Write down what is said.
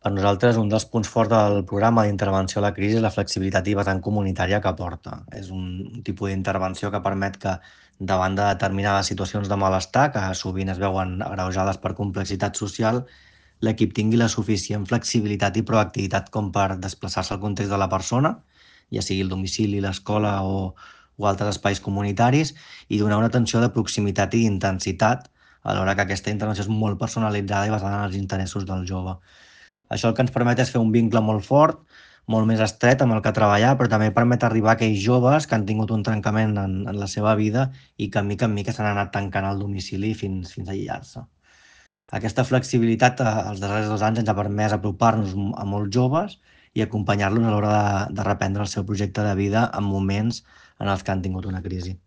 Per nosaltres, un dels punts forts del programa d'intervenció a la crisi és la flexibilitat i vessant comunitària que aporta. És un tipus d'intervenció que permet que, davant de determinades situacions de malestar, que sovint es veuen agreujades per complexitat social, l'equip tingui la suficient flexibilitat i proactivitat com per desplaçar-se al context de la persona, ja sigui el domicili, l'escola o altres espais comunitaris, i donar una atenció de proximitat i intensitat, alhora que aquesta intervenció és molt personalitzada i basada en els interessos del jove. Això el que ens permet és fer un vincle molt fort, molt més estret amb el que treballar, però també permet arribar a aquells joves que han tingut un trencament en la seva vida i que mica en mica s'han anat tancant al domicili fins a aïllar-se. Aquesta flexibilitat, els darrers 2 anys ens ha permès apropar-nos a molts joves i acompanyar-los a l'hora de reprendre el seu projecte de vida en moments en els que han tingut una crisi.